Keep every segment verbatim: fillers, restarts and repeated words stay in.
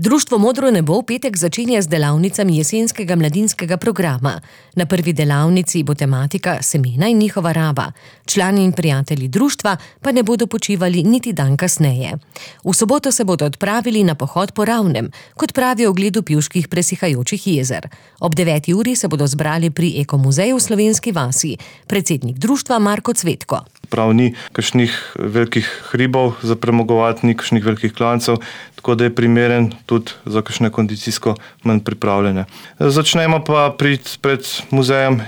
Društvo Modro nebo v petek začenja z delavnicami jesenskega mladinskega programa. Na prvi delavnici bo tematika semena in njihova raba. Člani in prijatelji društva pa ne bodo počivali niti dan kasneje. V soboto se bodo odpravili na pohod po Ravnem, kot pravijo ogledu pivških presihajočih jezer. Ob deveti uri se bodo zbrali pri Ekomuzeju v Slovenski vasi. Predsednik društva Marko Cvetko. Prav ni kakšnih velikih hribov za premagovati, ni kakšnih velikih klancev, tako da je primeren tudi za kakšne kondicijsko manj pripravljene. Začnemo pa pred, pred muzejem,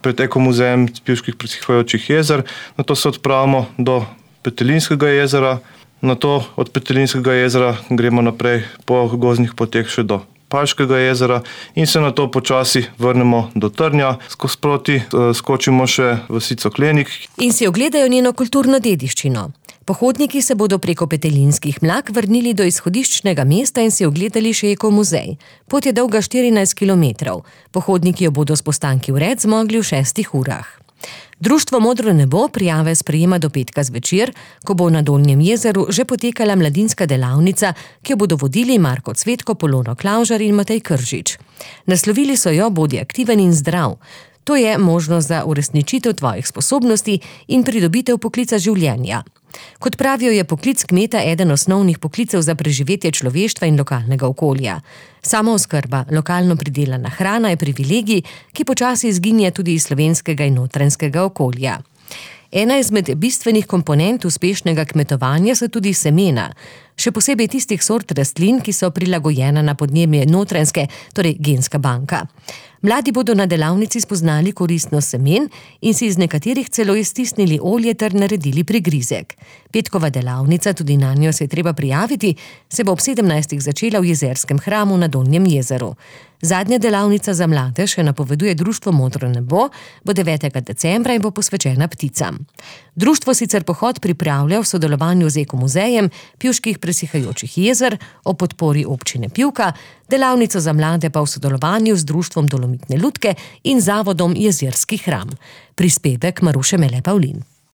pred Ekomuzejem pivških presihajočih jezer, nato se odpravimo do Petelinskega jezera, nato od Petelinskega jezera gremo naprej po gozdnih poteh še do Palškega jezera in se nato počasi vrnemo do Trnja, skozi proti skočimo še vasico Klenik. In si ogledajo njeno kulturno dediščino. Pohodniki se bodo preko Petelinskih mlak vrnili do izhodiščnega mesta in si ogledali še Ekomuzej. Pot je dolga štirinajst kilometrov. Pohodniki jo bodo s postanki vred zmogli v šestih urah. Društvo Modro nebo prijave sprejema do petka zvečer, ko bo na Dolnjem jezeru že potekala mladinska delavnica, ki jo bodo vodili Marko Cvetko, Polono Klavžar in Matej Kržič. Naslovili so jo Bodi aktiven in zdrav. To je možnost za uresničitev tvojih sposobnosti in pridobitev poklica življenja. Kot pravijo, je poklic kmeta eden osnovnih poklicev za preživetje človeštva in lokalnega okolja. Samooskrba, lokalno pridelana hrana je privilegij, ki počasi izginja tudi iz slovenskega in notranjskega okolja. Ena izmed bistvenih komponent uspešnega kmetovanja so tudi semena, še posebej tistih sort rastlin, ki so prilagojena na podnebje notranjske, torej genska banka. Mladi bodo na delavnici spoznali koristnost semen in si iz nekaterih celo iztisnili olje ter naredili prigrizek. Petkova delavnica, tudi na njo se je treba prijaviti, se bo ob sedemnajstih začela v jezerskem hramu na Dolnjem jezeru. Zadnja delavnica za mlade, še napoveduje Društvo Modro nebo, bo devetega decembra in bo posvečena pticam. Društvo sicer pohod pripravlja v sodelovanju z Ekomuzejem pivških presihajočih jezer o podpori občine Pivka, delavnico za mlade pa v sodelovanju z Društvom Dolomitne lutke in Zavodom Jezerski hram. Prispevek Maruše Mele Pavlin.